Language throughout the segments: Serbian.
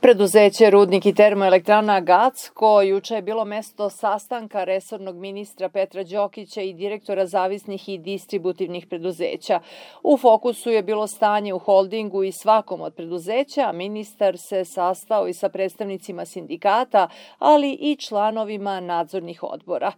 Preduzeće Rudnik i termoelektrana Gacko juče je bilo mesto sastanka resornog ministra Petra Đokića i direktora zavisnih i distributivnih preduzeća. U fokusu je bilo stanje u holdingu i svakom od preduzeća. Ministar se sastao i sa predstavnicima sindikata, ali i članovima nadzornih odbora.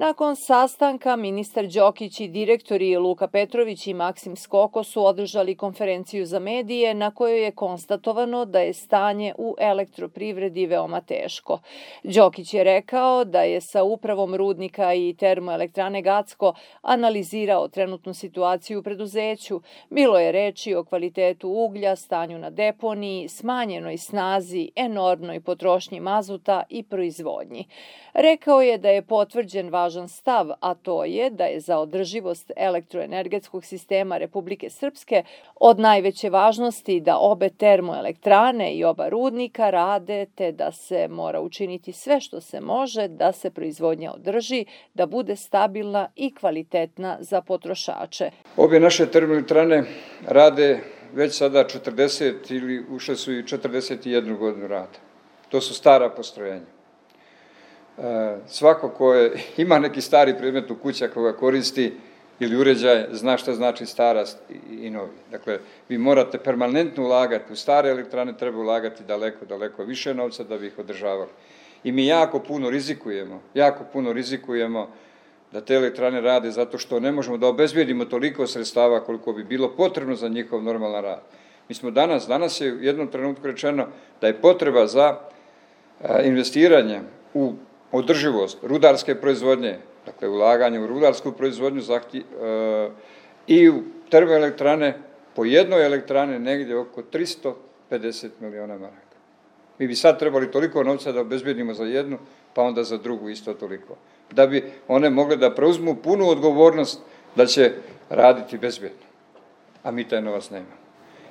Nakon sastanka, ministar Đokić i direktori Luka Petrović i Maksim Skoko su održali konferenciju za medije na kojoj je konstatovano da je stanje u elektroprivredi veoma teško. Đokić je rekao da je sa upravom Rudnika i termoelektrane Gacko analizirao trenutnu situaciju u preduzeću. Bilo je reči o kvalitetu uglja, stanju na deponiji, smanjenoj snazi, enormnoj potrošnji mazuta i proizvodnji. Rekao je da je potvrđen važan stav, a to je da je za održivost elektroenergetskog sistema Republike Srpske od najveće važnosti da obe termoelektrane i oba rudnika rade, te da se mora učiniti sve što se može da se proizvodnja održi, da bude stabilna i kvalitetna za potrošače. Obje naše termoelektrane rade već sada 40 ili ušle su i 41 godinu rada. To su stara postrojenja. Svako ko ima neki stari predmet u kući koga koristi ili uređaj, zna šta znači starost i novi. Dakle, vi morate permanentno ulagati u stare elektrane, treba ulagati daleko više novca da bi ih održavali. I mi jako puno rizikujemo da te elektrane rade zato što ne možemo da obezbijedimo toliko sredstava koliko bi bilo potrebno za njihov normalan rad. Mi smo danas je u jednom trenutku rečeno da je potreba za investiranje u održivost rudarske proizvodnje, dakle ulaganje u rudarsku proizvodnju i u termoelektrane, po jednoj elektrane negdje oko 350 miliona maraka. Mi bi sad trebali toliko novca da obezbedimo za jednu, pa onda za drugu isto toliko. Da bi one mogle da preuzmu punu odgovornost da će raditi bezbedno. A mi taj novac nemamo.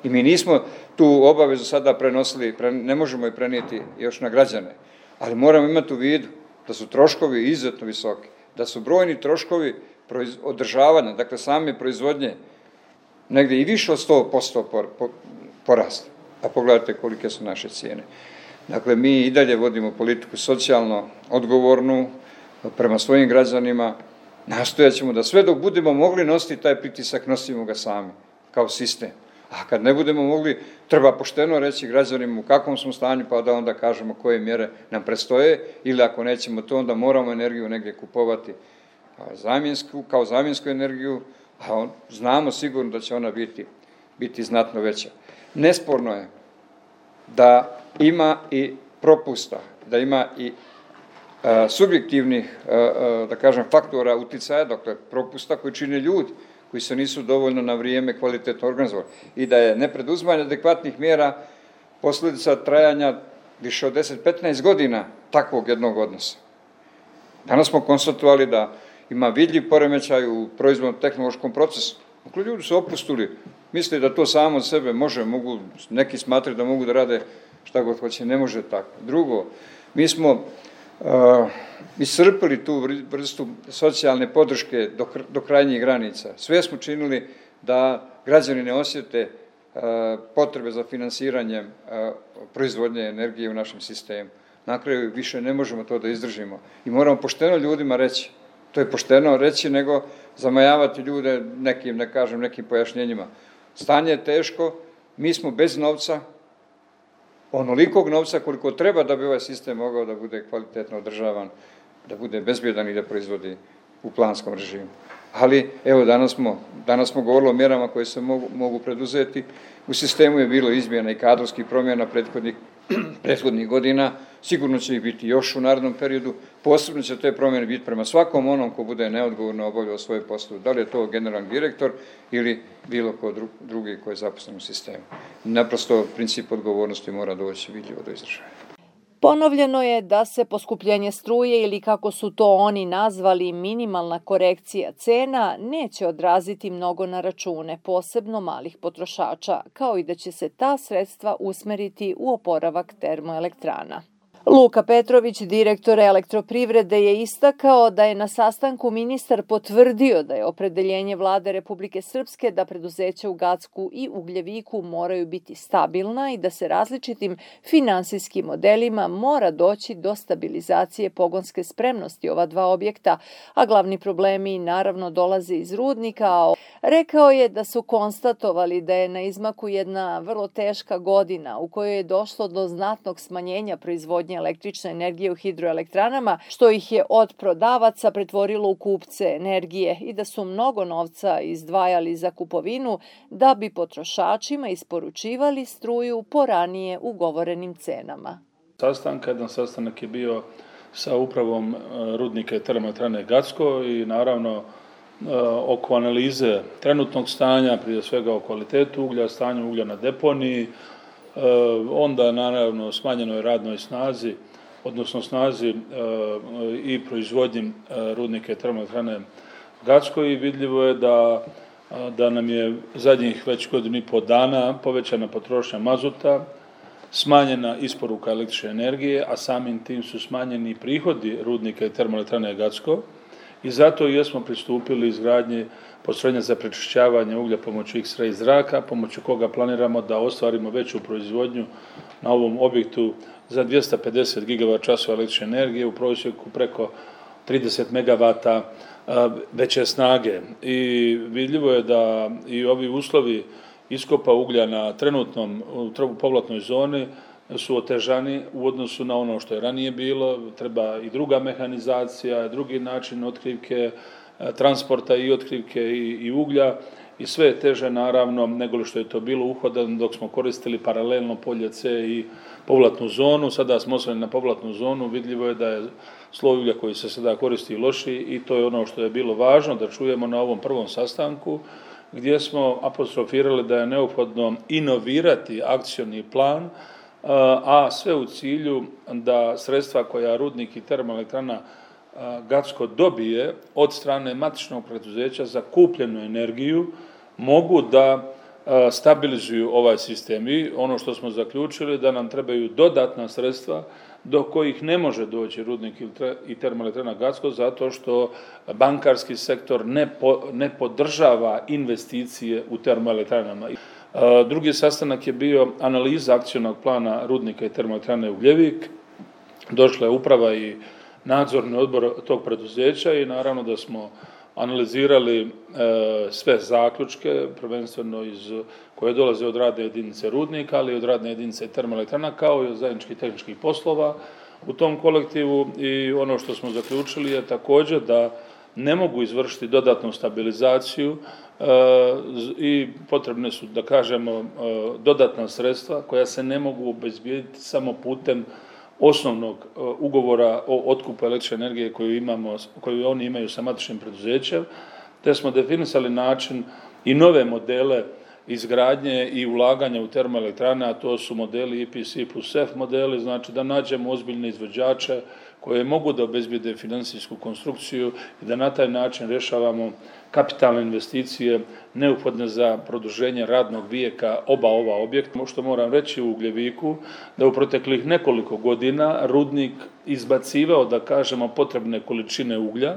I mi nismo tu obavezu sada prenosili, ne možemo je prenijeti još na građane, ali moramo imati u vidu da su troškovi izuzetno visoki, da su brojni troškovi održavanja, dakle same proizvodnje, negdje i više od 100% porasta. A pogledajte kolike su naše cijene. Dakle, mi i dalje vodimo politiku socijalno odgovornu prema svojim građanima, nastojat ćemo da sve dok budemo mogli nositi taj pritisak, nosimo ga sami, kao sistem. A kad ne budemo mogli, treba pošteno reći građanima u kakvom smo stanju, pa da onda kažemo koje mjere nam predstoje, ili ako nećemo to, onda moramo energiju negdje kupovati kao zamjensku energiju, a znamo sigurno da će ona biti znatno veća. Nesporno je da ima i propusta, da ima i subjektivnih, da kažem, faktora uticaja, dakle propusta koji čine ljudi, koji se nisu dovoljno na vrijeme kvalitetno organizovali i da je nepreduzimanje adekvatnih mjera posljedica trajanja više od 10-15 godina takvog jednog odnosa. Danas smo konstatovali da ima vidljiv poremećaj u proizvodno-tehnološkom procesu. Dakle, ljudi su opustili, misle da to samo od sebe mogu, neki smatraju da mogu da rade šta god hoće, ne može tako. Drugo, mi smo iscrpili tu vrstu socijalne podrške do krajnjih granica. Sve smo činili da građani ne osjete potrebe za finansiranjem proizvodnje energije u našem sistemu. Na kraju više ne možemo to da izdržimo. I moramo pošteno ljudima reći. To je pošteno reći nego zamajavati ljude nekim pojašnjenjima. Stanje je teško, mi smo bez novca, onolikog novca koliko treba da bi ovaj sistem mogao da bude kvalitetno održavan, da bude bezbjedan i da proizvodi u planskom režimu. Ali, evo, danas smo govorili o mjerama koje se mogu preduzeti. U sistemu je bilo izmjena i kadrovskih promjena prethodnih godina. Sigurno će ih biti još u narednom periodu. Posebno će te promjene biti prema svakom onom ko bude neodgovorno obavljao svoje poslove. Da li je to generalni direktor ili bilo ko drugi koji je zaposlen u sistemu. Naprosto, princip odgovornosti mora doći vidljivo do izražaja. Ponovljeno je da se poskupljenje struje ili kako su to oni nazvali minimalna korekcija cena neće odraziti mnogo na račune, posebno malih potrošača, kao i da će se ta sredstva usmeriti u oporavak termoelektrana. Luka Petrović, direktor Elektroprivrede, je istakao da je na sastanku ministar potvrdio da je opredeljenje Vlade Republike Srpske da preduzeća u Gacku i Ugljeviku moraju biti stabilna i da se različitim finansijskim modelima mora doći do stabilizacije pogonske spremnosti ova dva objekta, a glavni problemi naravno dolaze iz rudnika. Rekao je da su konstatovali da je na izmaku jedna vrlo teška godina u kojoj je došlo do znatnog smanjenja proizvodnje električne energije u hidroelektranama, što ih je od prodavaca pretvorilo u kupce energije i da su mnogo novca izdvajali za kupovinu da bi potrošačima isporučivali struju po ranije ugovorenim cenama. Jedan sastanak je bio sa upravom rudnika i termoelektrane Gacko i naravno oko analize trenutnog stanja, prije svega o kvalitetu uglja, stanju uglja na deponiji, onda naravno smanjenoj radnoj snazi, odnosno snazi i proizvodnji rudnika i termoelektrane Gacko i vidljivo je da nam je zadnjih već godinu i po dana povećana potrošnja mazuta, smanjena isporuka električne energije, a samim tim su smanjeni prihodi rudnika i termoelektrane Gacko i zato jesmo pristupili izgradnji postrojenja za prečišćavanje uglja pomoću X-ray zraka, pomoću koga planiramo da ostvarimo veću proizvodnju na ovom objektu za 250 GWh električne energije, u prosjeku preko 30 MW veće snage. I vidljivo je da i ovi uslovi iskopa uglja na trenutnom povratnoj zoni su otežani u odnosu na ono što je ranije bilo, treba i druga mehanizacija, drugi način otkrivke, transporta i otkrivke i uglja i sve je teže naravno nego što je to bilo uhodano dok smo koristili paralelno polje C i povratnu zonu. Sada smo osvrnuli na povratnu zonu, vidljivo je da je sloj uglja koji se sada koristi lošiji i to je ono što je bilo važno da čujemo na ovom prvom sastanku gdje smo apostrofirali da je neophodno inovirati akcioni plan, a sve u cilju da sredstva koja rudnik i termoelektrana Gacko dobije od strane matičnog preduzeća za kupljenu energiju mogu da stabilizuju ovaj sistem. I ono što smo zaključili da nam trebaju dodatna sredstva do kojih ne može doći rudnik i termoelektrana Gacko zato što bankarski sektor ne podržava investicije u termoelektranama. Drugi sastanak je bio analiza akcionog plana rudnika i termoelektrane Ugljevik. Došla je uprava i nadzorni odbor tog preduzeća i naravno da smo analizirali sve zaključke, prvenstveno koje dolaze od radne jedinice rudnika, ali i od radne jedinice termoelektrana, kao i od zajedničkih tehničkih poslova u tom kolektivu i ono što smo zaključili je također da ne mogu izvršiti dodatnu stabilizaciju i potrebne su, da kažemo, dodatna sredstva koja se ne mogu obezbijediti samo putem osnovnog ugovora o otkupu električne energije koju oni imaju sa matičnim preduzećem, te smo definisali način i nove modele izgradnje i ulaganja u termoelektrane, a to su modeli EPC plus F modeli, znači da nađemo ozbiljne izvođače koje mogu da obezbijede financijsku konstrukciju i da na taj način rješavamo kapitalne investicije neophodne za produženje radnog vijeka oba ova objekta. Što moram reći u Ugljeviku, da u proteklih nekoliko godina rudnik izbacivao, da kažemo, potrebne količine uglja,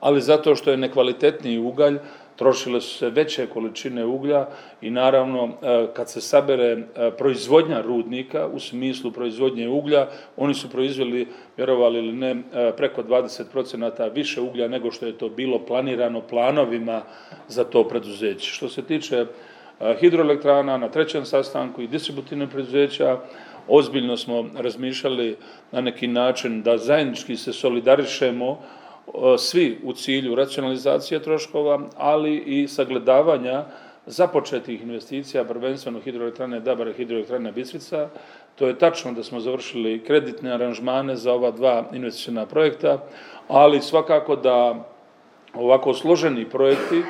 ali zato što je nekvalitetniji ugalj, trošile su se veće količine uglja i naravno kad se sabere proizvodnja rudnika u smislu proizvodnje uglja, oni su proizveli, vjerovali ili ne, preko 20% više uglja nego što je to bilo planirano planovima za to preduzeće. Što se tiče hidroelektrana, na trećem sastanku i distributivnih preduzeća, ozbiljno smo razmišljali na neki način da zajednički se solidarišemo svi u cilju racionalizacije troškova, ali i sagledavanja započetih investicija, prvenstveno hidroelektrane Dabar i hidroelektrane Bistrica. To je tačno da smo završili kreditne aranžmane za ova dva investiciona projekta, ali svakako da ovako složeni projekti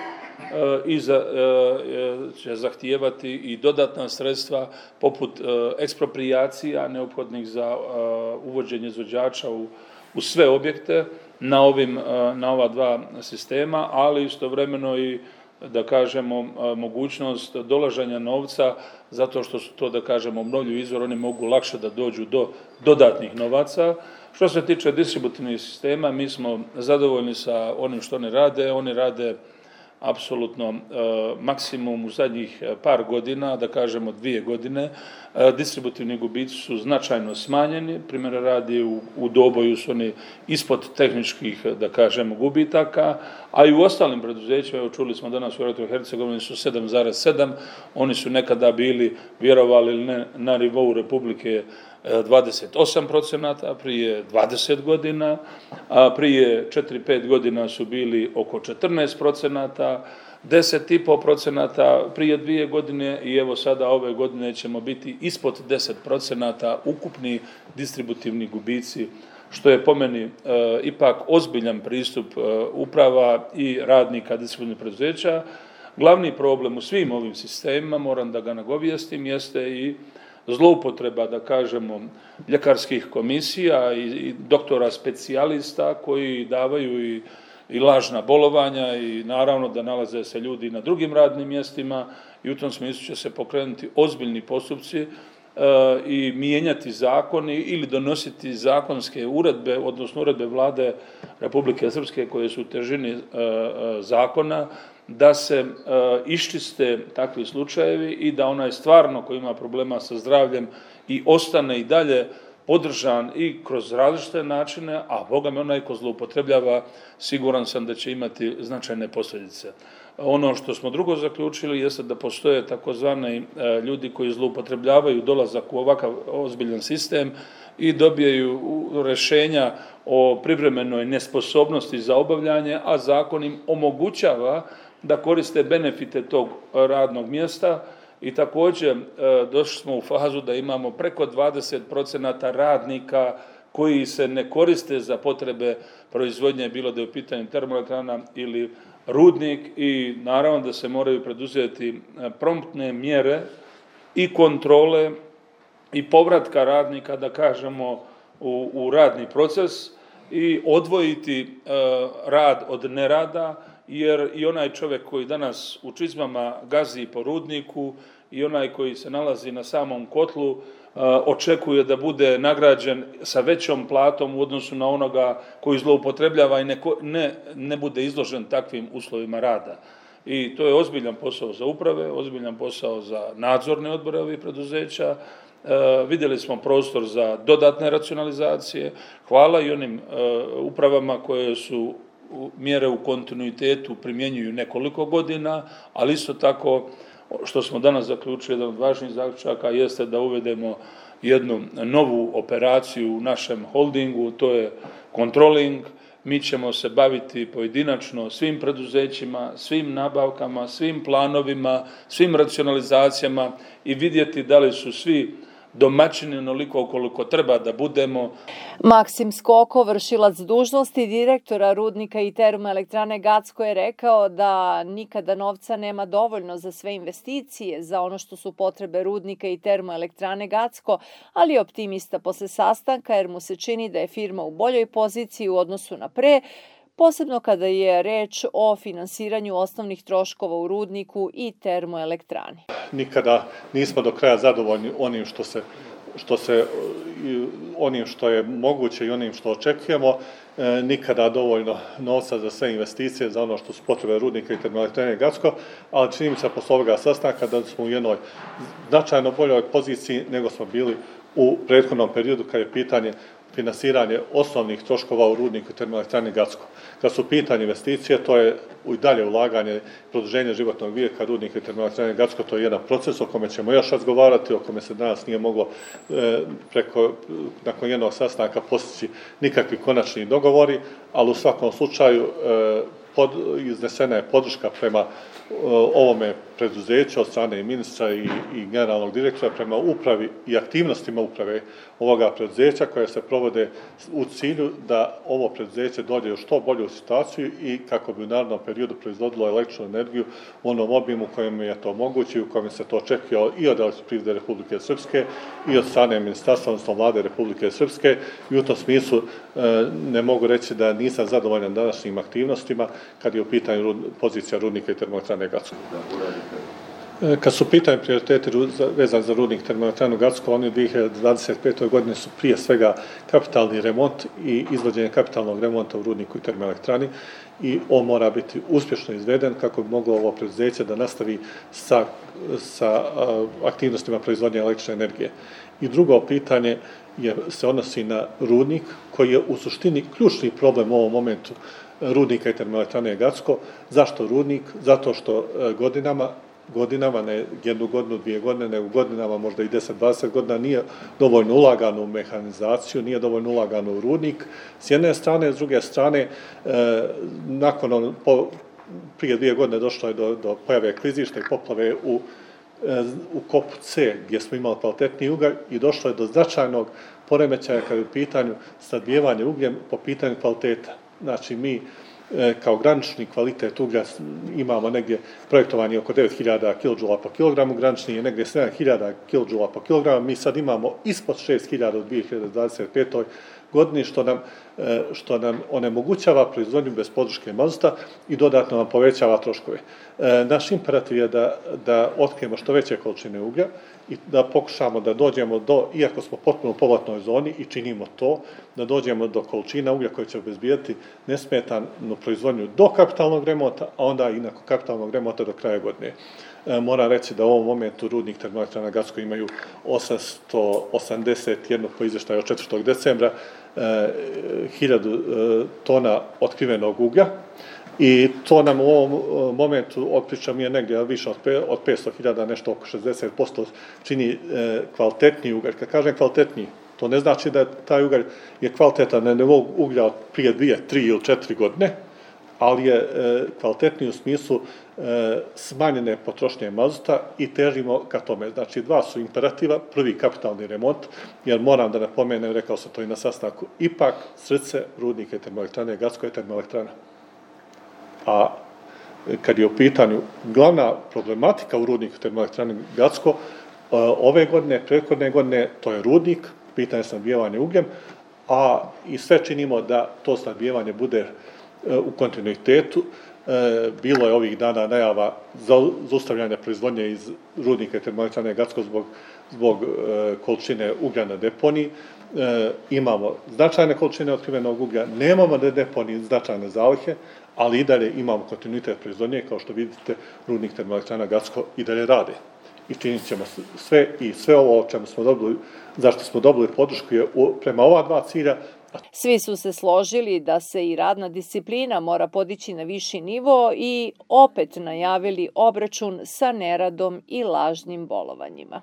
će zahtijevati i dodatna sredstva poput eksproprijacija neophodnih za uvođenje izvođača u sve objekte na ova dva sistema, ali istovremeno i da kažemo, mogućnost dolaženja novca, zato što su to, da kažemo, obnovljivi izvor, oni mogu lakše da dođu do dodatnih novaca. Što se tiče distributivnih sistema, mi smo zadovoljni sa onim što oni rade apsolutno maksimum u zadnjih par godina, da kažemo 2 godine. Distributivni gubici su značajno smanjeni, primjera radi u Doboju su oni ispod tehničkih, da kažemo, gubitaka, a i u ostalim preduzećima, evo čuli smo danas u Hercegovini su 7,7, oni su nekada bili, vjerovali ili ne, na nivou Republike 28% prije 20 godina, a prije 4-5 godina su bili oko 14%, 10,5% prije 2 godine i evo sada ove godine ćemo biti ispod 10% ukupni distributivni gubici, što je po meni ipak ozbiljan pristup uprava i radnika distributivnih preduzeća. Glavni problem u svim ovim sistemima, moram da ga nagovijestim, jeste i zloupotreba, da kažemo, ljekarskih komisija i doktora specijalista koji davaju i lažna bolovanja i naravno da nalaze se ljudi na drugim radnim mjestima i u tom smislu će se pokrenuti ozbiljni postupci i mijenjati zakoni ili donositi zakonske uredbe, odnosno uredbe Vlade Republike Srpske koje su u težini zakona, da se iščiste takvi slučajevi i da onaj stvarno koji ima problema sa zdravljem i ostane i dalje podržan i kroz različite načine, a Boga mi onaj ko zloupotrebljava, siguran sam da će imati značajne posljedice. Ono što smo drugo zaključili jeste da postoje takozvani ljudi koji zloupotrebljavaju dolazak u ovakav ozbiljan sistem i dobijaju rješenja o privremenoj nesposobnosti za obavljanje, a zakon im omogućava da koriste benefite tog radnog mjesta i također došli smo u fazu da imamo preko 20% radnika koji se ne koriste za potrebe proizvodnje, bilo da je u pitanju termoelektrana ili rudnik i naravno da se moraju preduzeti promptne mjere i kontrole i povratka radnika, da kažemo, u radni proces i odvojiti rad od nerada, jer i onaj čovjek koji danas u čizmama gazi po rudniku i onaj koji se nalazi na samom kotlu očekuje da bude nagrađen sa većom platom u odnosu na onoga koji zloupotrebljava i ne bude izložen takvim uslovima rada. I to je ozbiljan posao za uprave, ozbiljan posao za nadzorne odbore ovih preduzeća. Vidjeli smo prostor za dodatne racionalizacije. Hvala i onim upravama koje su mjere u kontinuitetu primjenjuju nekoliko godina, ali isto tako što smo danas zaključili, jedan od važnijih zaključaka jeste da uvedemo jednu novu operaciju u našem holdingu, to je controlling. Mi ćemo se baviti pojedinačno svim preduzećima, svim nabavkama, svim planovima, svim racionalizacijama i vidjeti da li su svi domaćini onoliko koliko treba da budemo. Maksim Skoko, vršilac dužnosti direktora rudnika i termoelektrane Gacko, je rekao da nikada novca nema dovoljno za sve investicije, za ono što su potrebe rudnika i termoelektrane Gacko, ali je optimista posle sastanka jer mu se čini da je firma u boljoj poziciji u odnosu na pre, posebno kada je reč o finansiranju osnovnih troškova u rudniku i termoelektrani. Nikada nismo do kraja zadovoljni onim onim što je moguće i onim što očekujemo. Nikada dovoljno novca za sve investicije, za ono što su potrebe rudnika i termoelektrane Gacko, ali čini mi se posle ovoga sastanka da smo u jednoj značajno boljoj poziciji nego smo bili u prethodnom periodu kad je pitanje finansiranje osnovnih troškova u rudniku i termoelektrani Gacko. Kad su pitanje investicije, to je i dalje ulaganje, produženje životnog vijeka rudnika i termoelektrane Gacko, to je jedan proces o kome ćemo još razgovarati, o kome se danas nije moglo nakon jednog sastanka postići nikakvi konačni dogovori, ali u svakom slučaju iznesena je podrška prema ovome preduzeću od strane i ministra i generalnog direktora prema upravi i aktivnostima uprave ovoga preduzeća koje se provode u cilju da ovo preduzeće dođe u što bolju situaciju i kako bi u narednom periodu proizvodilo električnu energiju u onom obimu kojem je to moguće i u kojem se to očekuje i od Elektroprivrede Republike Srpske i od strane ministarstva, odnosno Vlade Republike Srpske i u tom smislu ne mogu reći da nisam zadovoljan današnjim aktivnostima kad je u pitanju pozicija rudnika i termoelektrane Gacko. Kad su pitanje prioriteti vezani za rudnik termoelektranu Gacko, oni u 2025. godine su prije svega kapitalni remont i izvođenje kapitalnog remonta u rudniku i termoelektrani i on mora biti uspješno izveden kako bi moglo ovo preduzeće da nastavi sa aktivnostima proizvodnje električne energije. I drugo pitanje se odnosi na rudnik koji je u suštini ključni problem u ovom momentu rudnika i termoelektrane Gacko. Zašto rudnik? Zato što godinama, ne jednu godinu, 2 godine, nego godinama, možda i 10-20 godina, nije dovoljno ulagano u mehanizaciju, nije dovoljno ulagano u rudnik. S jedne strane, s druge strane, prije 2 godine došlo je do pojave klizišta i poplave u kopu C, gdje smo imali kvalitetniji ugalj i došlo je do značajnog poremećaja kada je u pitanju snabdijevanje ugljem po pitanju kvaliteta. Znači, mi kao granični kvalitet uglja imamo negdje projektovanje oko 9000 kJ po kilogramu, granični je negdje 7000 kJ po kilogramu, mi sad imamo ispod 6000 u 2025. godini, što nam onemogućava proizvodnju bez podrške mazuta i dodatno nam povećava troškove. Naš imperativ je da otkrijemo što veće količine uglja i da pokušamo da dođemo iako smo potpuno u povratnoj zoni i činimo to, da dođemo do količina uglja koje će obezbijeti nesmetanu proizvodnju do kapitalnog remonta, a onda i nakon kapitalnog remonta do kraja godine. Moram reći da u ovom momentu rudnik termoelektrana Gacko imaju 881 po izvještaju od 4. decembra 1000 tona otkrivenog uglja i to nam u ovom momentu otpričam je negdje više od 500.000, nešto oko 60% čini kvalitetniji ugalj. Kad kažem kvalitetniji, to ne znači da taj ugalj je kvalitetan na nivou uglja od prije 2, 3 ili 4 godine, ali je kvalitetniji u smislu smanjene potrošnje mazuta i težimo ka tome. Znači, 2 su imperativa. Prvi, kapitalni remont, jer moram da napomenem, rekao sam to i na sastanku, ipak srce rudnika i termoelektrane Gacko je termoelektrana. A kad je u pitanju glavna problematika u rudniku termoelektrane Gacko, ove godine, prethodne godine, to je rudnik, pitanje snabdijevanja ugljem, a i sve činimo da to snabdijevanje bude u kontinuitetu. Bilo je ovih dana najava zaustavljanja proizvodnje iz rudnika i termoelektrane Gacko zbog količine uglja na deponiji. Imamo značajne količine otkrivenog uglja, nemamo na deponiji značajne zalihe, ali i dalje imamo kontinuitet proizvodnje, kao što vidite, rudnik termoelektrana Gacko i dalje rade. I činit ćemo sve i sve ovo o čemu smo dobili, zašto smo dobili podršku je prema ova 2 cilja. Svi su se složili da se i radna disciplina mora podići na viši nivo i opet najavili obračun sa neradom i lažnim bolovanjima.